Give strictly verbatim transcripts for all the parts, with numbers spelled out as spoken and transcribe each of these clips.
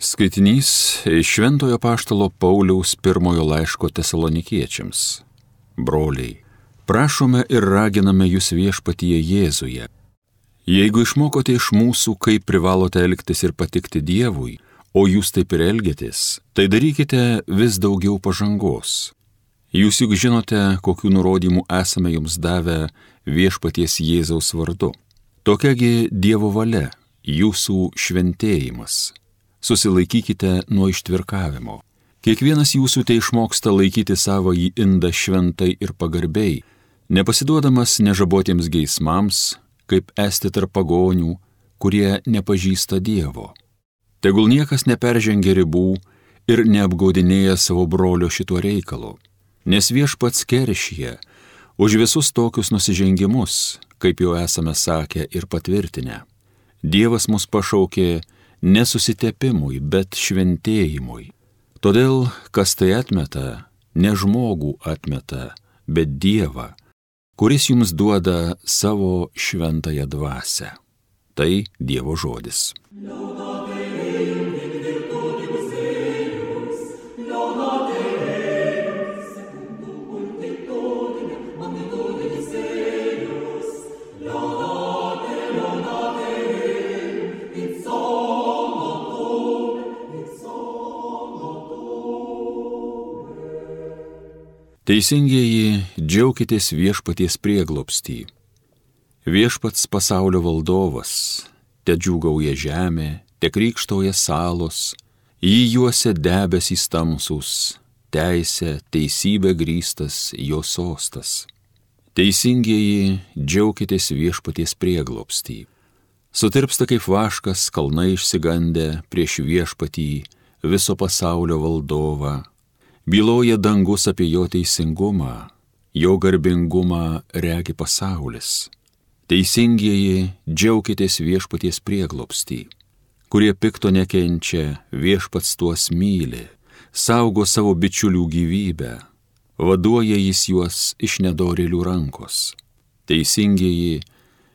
Skaitinys iš Šventojo Apaštalo Pauliaus pirmojo laiško Tesalonikiečiams. Broliai, prašome ir raginame jūs viešpatyje Jėzuje. Jeigu išmokote iš mūsų, kaip privalote elgtis ir patikti Dievui, o jūs taip ir elgiatės, tai darykite vis daugiau pažangos. Jūs juk žinote, kokių nurodymų esame jums davę viešpaties Jėzaus vardu. Tokiagi Dievo valia, jūsų šventėjimas. Susilaikykite nuo ištvirkavimo. Kiekvienas jūsų tai išmoksta laikyti savąjį indą šventai ir pagarbiai, nepasiduodamas nežabotiems geismams, kaip esti tarp pagonių, kurie nepažįsta Dievo. Tegul niekas neperžengia ribų ir neapgaudinėja savo brolio šituo reikalu, nes Viešpats keršija už visus tokius nusižengimus, kaip jau esame sakę ir patvirtinę. Dievas mus pašaukė nesusitepimui, bet šventėjimui. Todėl, kas tai atmeta, ne žmogų atmeta, bet Dievą, kuris jums duoda savo šventąją dvasią. Tai Dievo žodis. Teisingieji, džiaukitės viešpaties prieglobstį. Viešpats pasaulio valdovas, te džiūgauja žemė, te krykštauja salos, jį juose debesys tamsūs, teisė, teisybė grįstas jo sostas. Teisingieji, džiaukitės viešpaties prieglobstį. Sutirpsta kaip vaškas kalnai išsigandę prieš viešpatį viso pasaulio valdovą. Byloja dangus apie jo teisingumą, jo garbingumą regi pasaulis. Teisingieji, džiaukitės viešpaties prieglobstį. Kurie pikto nekenčia, viešpats tuos myli, saugo savo bičiulių gyvybę, vaduoja jis juos iš nedorėlių rankos. Teisingieji,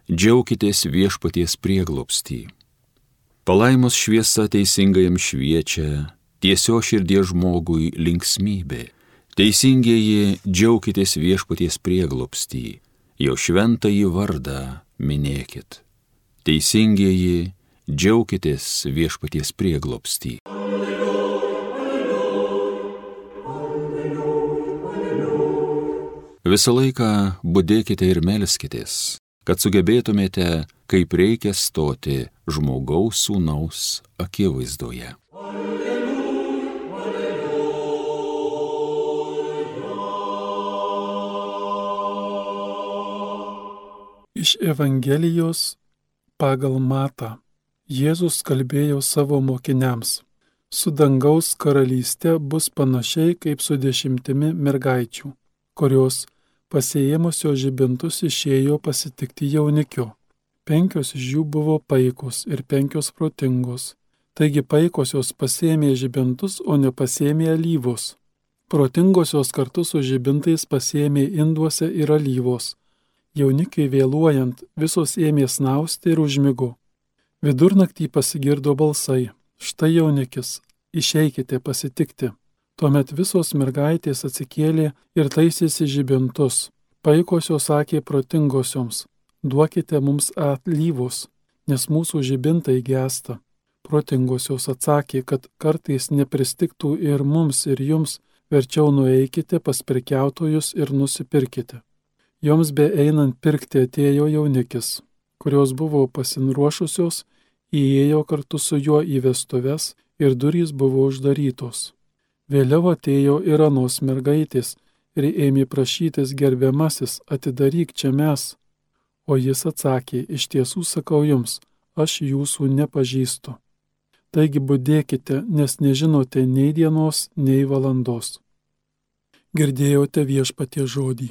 džiaukitės viešpaties prieglobstį. Palaimos šviesa teisingajam šviečia, tiesio širdies žmogui linksmybė. Teisingieji, džiaukitės viešpaties prieglobstį, jo šventąjį vardą minėkit. Teisingieji, džiaukitės viešpaties prieglobstį. Visą laiką budėkite ir melskitės, kad sugebėtumėte, kaip reikia stoti žmogaus sūnaus akivaizdoje. Iš Evangelijos pagal Matą Jėzus kalbėjo savo mokiniams: su dangaus karalyste bus panašiai kaip su dešimtimi mergaičių, kurios pasiėmusios žibintus išėjo pasitikti jaunikio. Penkios iš jų buvo paikos ir penkios protingos. Taigi paikosios pasiėmė žibintus, o nepasiėmė alyvos. Protingosios kartu su žibintais pasiėmė induose ir alyvos. Jaunikiai vėluojant, visos ėmė snausti ir užmigo. Vidurnaktį pasigirdo balsai: štai jaunikis, išeikite pasitikti. Tuomet visos mergaitės atsikėlė ir taisėsi žibintus. Paikosios sakė protingosioms: duokite mums alyvos, nes mūsų žibintai gęsta. Protingosios atsakė, kad kartais nepristigtų ir mums, ir jums, verčiau nueikite pas prekiautojus ir nusipirkite. Joms be einant pirkti atėjo jaunikis, kurios buvo pasiruošusios, įėjo kartu su juo į vestuves ir durys buvo uždarytos. Vėliau atėjo ir anos mergaitės ir ėmė prašytis: gerbiamasis, atidaryk čia mes. O jis atsakė: iš tiesų sakau jums, aš jūsų nepažįstu. Taigi budėkite, nes nežinote nei dienos, nei valandos. Girdėjote viešpaties žodį.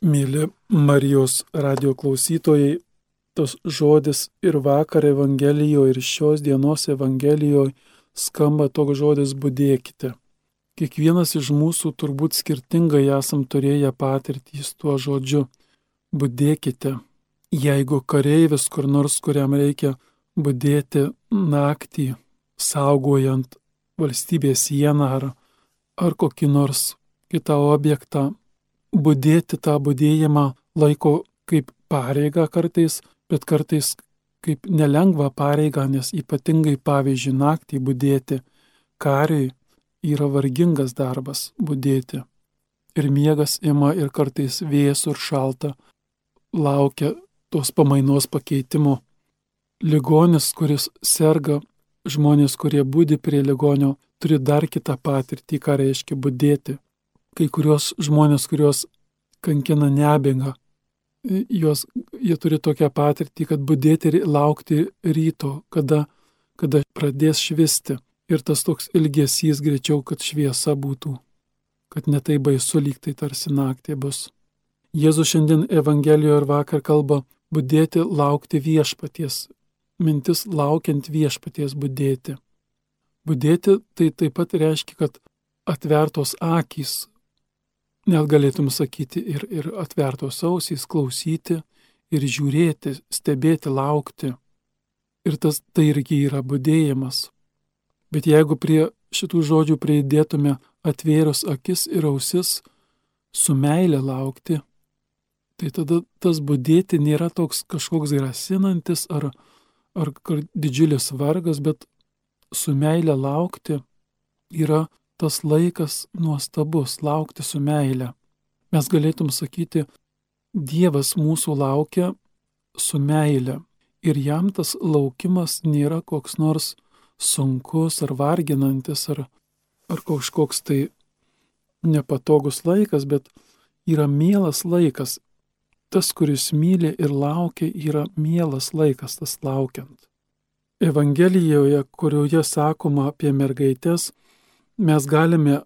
Mėly Marijos radijo klausytojai, tas žodis ir vakar Evangelijoje, ir šios dienos Evangelijoje skamba toks žodis budėkite. Kiekvienas iš mūsų turbūt skirtingai esam turėję patirtį su tuo žodžiu budėkite. Jeigu kareivis kur nors, kuriam reikia budėti naktį, saugojant valstybės sieną ar, ar kokį nors kitą objektą, budėti tą budėjimą laiko kaip pareigą kartais, bet kartais kaip nelengvą pareigą, nes ypatingai pavyzdžiui naktį budėti kariui yra vargingas darbas budėti. Ir miegas ima ir kartais vėsų ir šalta, laukia tos pamainos pakeitimo. Ligonis, kuris serga, žmonės, kurie budi prie ligonio, turi dar kitą patirtį, ką reiškia budėti. Kai kurios žmonės, kurios kankina nemiga, jos, jie turi tokią patirtį, kad budėti ir laukti ryto, kada, kada pradės švisti. Ir tas toks ilgesys greičiau, kad šviesa būtų, kad netai baisu, lyg tai tarsi naktį bus. Jėzus šiandien Evangelijoje ir vakar kalba budėti, laukti viešpaties. Mintis laukiant viešpaties budėti. Budėti tai taip pat reiškia, kad atvertos akys, net galėtum sakyti, ir, ir atvertos ausys, klausyti ir žiūrėti, stebėti, laukti. Ir tas tai irgi yra budėjimas. Bet jeigu prie šitų žodžių pridėtume atvėrus akis ir ausis, su meile laukti, tai tada tas budėti nėra toks kažkoks grasinantis ar, ar didžiulis vargas, bet su meile laukti yra tas laikas nuostabus, laukti su meile. Mes galėtum sakyti, Dievas mūsų laukia su meile ir jam tas laukimas nėra koks nors sunkus ar varginantis ar, ar kažkoks tai nepatogus laikas, bet yra mielas laikas. Tas, kuris myli ir laukia, yra mielas laikas, tas laukiant. Evangelijoje, kurioje sakoma apie mergaitės, mes galime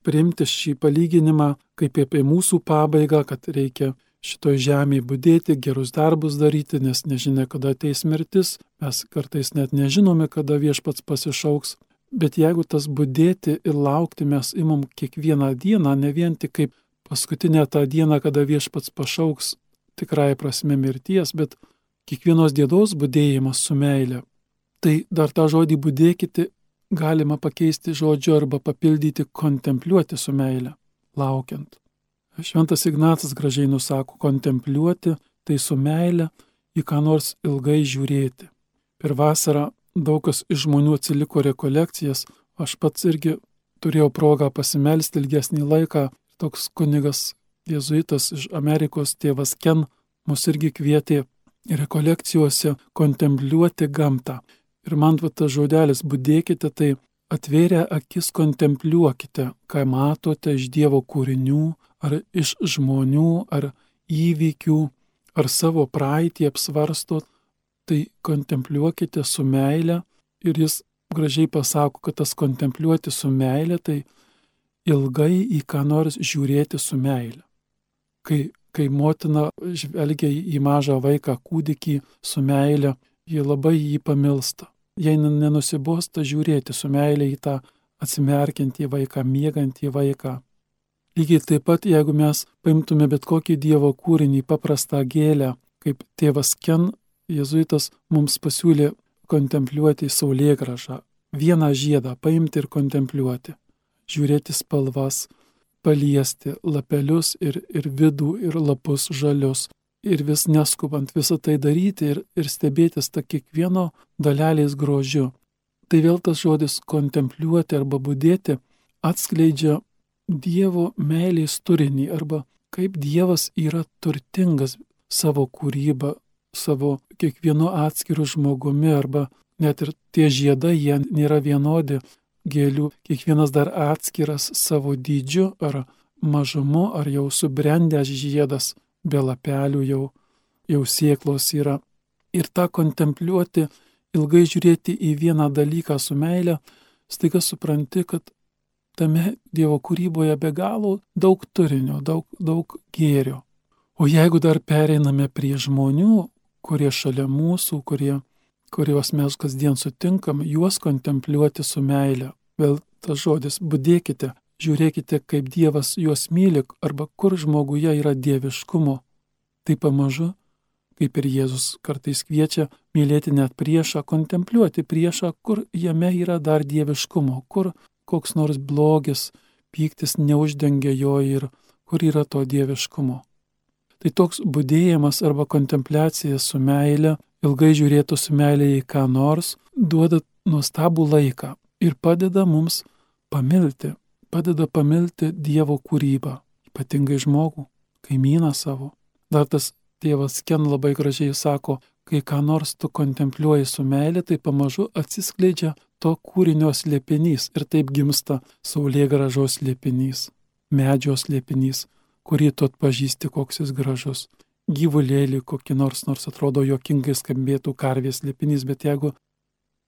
priimti šį palyginimą kaip apie mūsų pabaigą, kad reikia šitoj žemėje budėti, gerus darbus daryti, nes nežinia, kada ateis mirtis, mes kartais net nežinome, kada viešpats pasišauks. Bet jeigu tas budėti ir laukti mes imam kiekvieną dieną, ne vien tik kaip paskutinę tą dieną, kada viešpats pašauks tikrai prasme mirties, bet kiekvienos dienos budėjimas su meile. Tai dar tą žodį budėkite galima pakeisti žodžiu arba papildyti kontempliuoti su meile, laukiant. Šventas Ignacas gražiai nusako, kontempliuoti tai su meile į ką nors ilgai žiūrėti. Per vasarą daug kas iš žmonių atsiliko rekolekcijas, aš pats irgi turėjau progą pasimelsti ilgesnį laiką. Toks kunigas jėzuitas iš Amerikos, tėvas Ken, mus irgi kvietė rekolekcijose kontempliuoti gamtą. Ir man va tas žodelis budėkite, tai atvėrę akis kontempliuokite, ką matote iš Dievo kūrinių, ar iš žmonių, ar įvykių, ar savo praeitį apsvarstot, tai kontempliuokite su meile. Ir jis gražiai pasako, kad tas kontempliuoti su meile, tai ilgai į ką nors žiūrėti su meile. Kai, kai motina žvelgia į mažą vaiką, kūdikį su meile, ji labai jį pamilsta. Jei nenusibosta žiūrėti su meile į tą atsimerkiantį vaiką, miegantį vaiką. Lygiai taip pat, jeigu mes paimtume bet kokį Dievo kūrinį, paprastą gėlę, kaip tėvas Ken, jėzuitas, mums pasiūlė kontempliuoti saulėgrąžą, vieną žiedą paimti ir kontempliuoti, žiūrėti spalvas, paliesti lapelius ir, ir vidų, ir lapus žalius, ir vis neskubant visą tai daryti ir, ir stebėtis tą kiekvieno dalelės grožiu. Tai vėl tas žodis kontempliuoti arba budėti atskleidžia Dievo meilės turinį arba kaip Dievas yra turtingas savo kūrybą, savo kiekvienu atskiru žmogumi arba net ir tie žiedai, jie nėra vienodi gėlių, kiekvienas dar atskiras savo dydžiu ar mažumu, ar jau subrendęs žiedas, be lapelių jau, jau sėklos yra. Ir tą kontempliuoti, ilgai žiūrėti į vieną dalyką su meile, staiga supranti, kad tame Dievo kūryboje be galo daug turinio, daug, daug gėrio. O jeigu dar pereiname prie žmonių, kurie šalia mūsų, kurie, kuriuos mes kasdien sutinkam, juos kontempliuoti su meile. Vėl tas žodis budėkite, žiūrėkite, kaip Dievas juos myli, arba kur žmoguje yra dieviškumo. Tai pamažu, kaip ir Jėzus kartais kviečia mylėti net priešą, kontempliuoti priešą, kur jame yra dar dieviškumo, kur koks nors blogis, pyktis neuždengia jo ir kur yra to dieviškumo. Tai toks budėjimas arba kontempliacija su meile, ilgai žiūrėtų su meile į ką nors, duoda nuostabų laiką ir padeda mums pamilti, padeda pamilti Dievo kūrybą, ypatingai žmogų, kaimyną savo. Dar tas tėvas Ken labai gražiai sako, kai ką nors tu kontempliuoji su meile, tai pamažu atsiskleidžia to kūrinio slėpinys ir taip gimsta saulėgrąžos slėpinys, medžio slėpinys, kurį tu atpažįsti, koks jis gražus. Gyvulėlį kokį nors, nors atrodo juokingai skambėtų karvės slėpinys, bet jeigu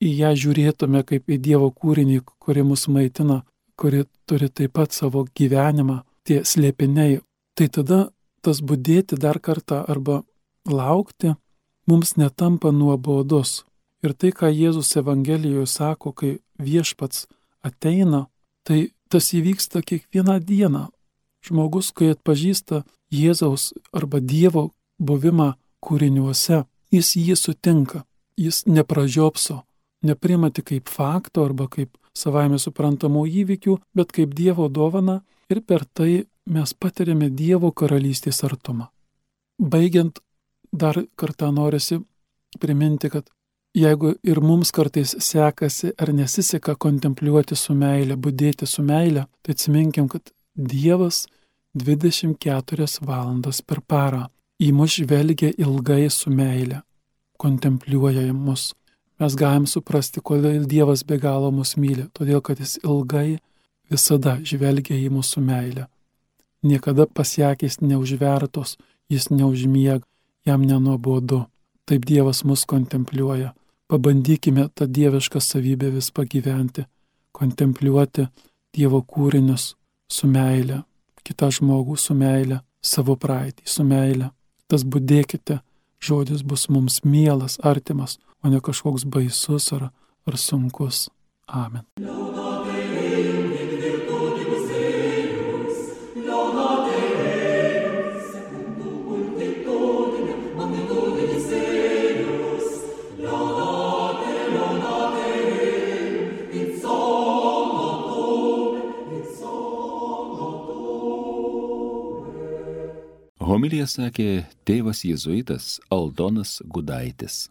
į ją žiūrėtume kaip į Dievo kūrinį, kuri mus maitina, kuri turi taip pat savo gyvenimą, tie slėpiniai, tai tada tas budėti dar kartą arba laukti mums netampa nuobodus. Ir tai, ką Jėzus Evangelijoje sako, kai viešpats ateina, tai tas įvyksta kiekvieną dieną. Žmogus, kai atpažįsta Jėzaus arba Dievo buvimą kūriniuose, jis jį sutinka, jis nepražiopso, nepriima tik kaip fakto arba kaip savaime suprantamų įvykių, bet kaip Dievo dovana ir per tai mes patiriame Dievo karalystės artumą. Baigiant, dar kartą norisi priminti, kad jeigu ir mums kartais sekasi ar nesiseka kontempliuoti su meile, budėti su meile, tai atsiminkim, kad Dievas dvidešimt keturias valandas per parą į mus žvelgia ilgai su meile, kontempliuoja mus. Mes galim suprasti, kodėl Dievas be galo mus myli, todėl kad jis ilgai visada žvelgia į mūsų meilę. Niekada pasiekės neužvertos, jis neužmiega, jam nenuobodu. Taip Dievas mus kontempliuoja. Pabandykime tą dievišką savybę vis pagyventi, kontempliuoti Dievo kūrinius su meile, kitą žmogų su meile, savo praeitį su meile. Tas budėkite žodis bus mums mielas, artimas, o ne kažkoks baisus ar, ar sunkus. Amen. Homiliją sakė tėvas jėzuitas Aldonas Gudaitis.